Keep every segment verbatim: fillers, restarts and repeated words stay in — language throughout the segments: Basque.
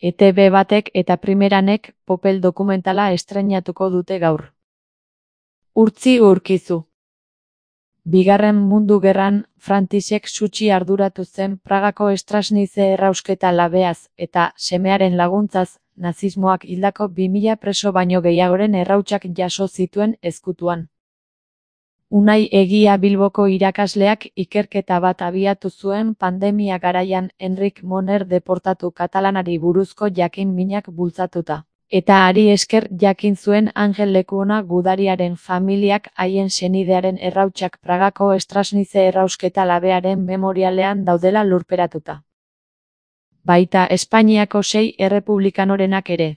E Te Be batek eta Primeranek Popel dokumentala estreinatuko dute gaur. Urtzi Urkizu. Bigarren Mundu Gerran, Frantisek Sutxi arduratu zen Pragako Stražnice errausketa labeaz eta semearen laguntzaz, nazismoak hildako bi mila preso baino gehiagoren errautsak jaso zituen ezkutuan. Unai Egia Bilboko irakasleak ikerketa bat abiatu zuen pandemia garaian Enric Moner deportatu katalanari buruzko jakin-minak bultzatuta. Eta hari esker jakin zuen Angel Lekuona gudariaren familiak haien senidearen errautsak Pragako Stražnice errausketa labearen memorialean daudela lurperatuta. Baita Espainiako sei errepublikanorenak ere.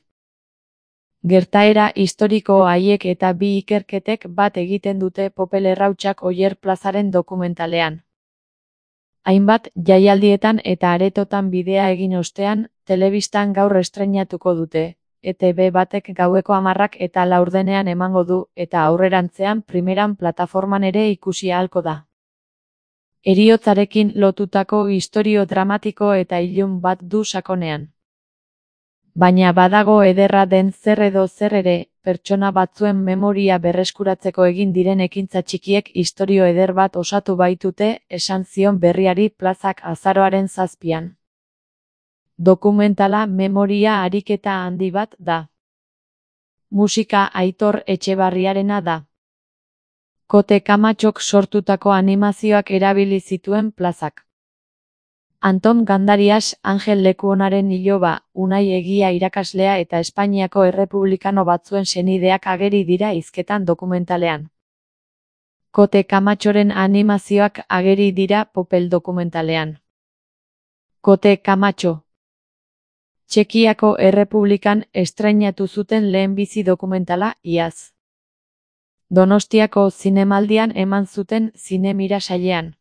Gertaera historiko haiek eta bi ikerketek bat egiten dute Popel errautsak Oier plazaren dokumentalean. Hainbat jaialdietan eta aretotan bidea egin ostean, telebistan gaur estreinatuko dute. E Te Be batek gaueko hamarrak eta laurdenean emango du, eta aurrerantzean Primeran plataforman ere ikusi ahalko da. Heriotzarekin lotutako istorio dramatiko eta ilun bat du sakonean. Baina badago ederra den zer edo zer ere, pertsona batzuen memoria berreskuratzeko egin diren ekintza txikiek istorio eder bat osatu baitute, esan zion Berriari Plazak azaroaren zazpian. Dokumentala memoria ariketa handi bat da. Musika Aitor Etxebarriarena da. Kote Kamatxok sortutako animazioak erabili zituen Plazak. Anton Gandarias, Angel Lekuonaren iloba, Unai Egia irakaslea eta Espainiako errepublikano batzuen senideak ageri dira hizketan dokumentalean. Kote Kamatxoren animazioak ageri dira Popel dokumentalean. Kote Kamatxo. Txekiako Errepublikan estreinatu zuten lehenbizi dokumentala iaz. Donostiako zinemaldian eman zuten zinemira sailean.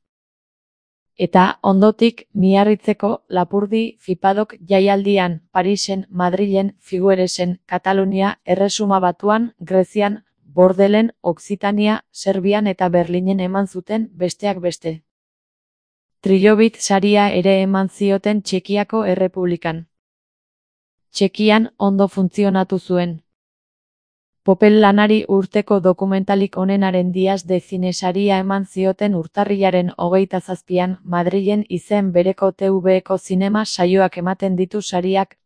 Eta ondotik Miarritzeko, Lapurdi, Fipadok jaialdian, Parisen, Madrilen, Figueresen, Katalunia, Erresuma Batuan, Grezian, Bordelen, Okzitania, Serbian eta Berlinen eman zuten besteak beste. Trilobit saria ere eman zioten Txekiako Errepublikan. Txekian ondo funtzionatu zuen. Popel lanari urteko dokumentalik onenaren Diaz de Cine saria eman zioten urtarrilaren hogeita zazpian, Madrilen izen bereko Te Veko zinema saioak ematen ditu sariak.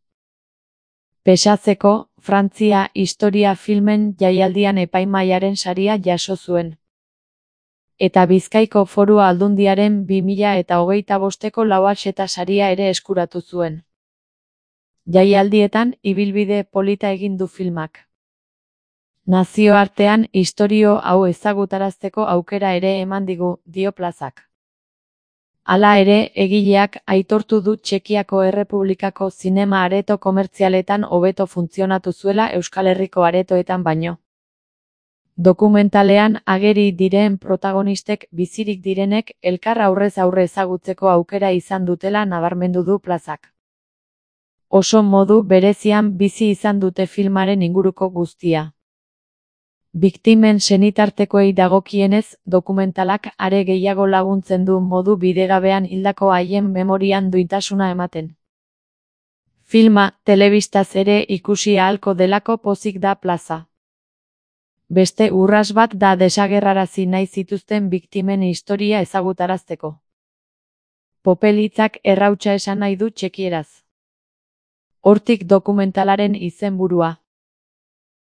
Pesatzeko, Frantzia historia filmen jaialdian epaimahaiaren saria jaso zuen. Eta Bizkaiko Foru Aldundiaren bi mila eta hogeita bosteko Lauaxeta saria ere eskuratu zuen. Jaialdietan ibilbide polita egin du filmak. Nazioartean istorio hau ezagutarazteko aukera ere eman digu, dio Plazak. Hala ere, egileak aitortu du Txekiako Errepublikako zinema areto komertzialetan hobeto funtzionatu zuela Euskal Herriko aretoetan baino. Dokumentalean ageri diren protagonistek bizirik direnek elkar aurrez aurre ezagutzeko aukera izan dutela nabarmendu du Plazak. Oso modu berezian bizi izan dute filmaren inguruko guztia. Biktimen senitartekoei dagokienez, dokumentalak are gehiago laguntzen du modu bidegabean hildako haien memorian duintasuna ematen. Filma, telebistaz ere ikusi ahalko delako pozik da Plaza. Beste urras bat da desagerrarazi nahi zituzten biktimen historia ezagutarazteko. Popel hitzak errautsa esan nahi du txekieraz. Hortik dokumentalaren izenburua.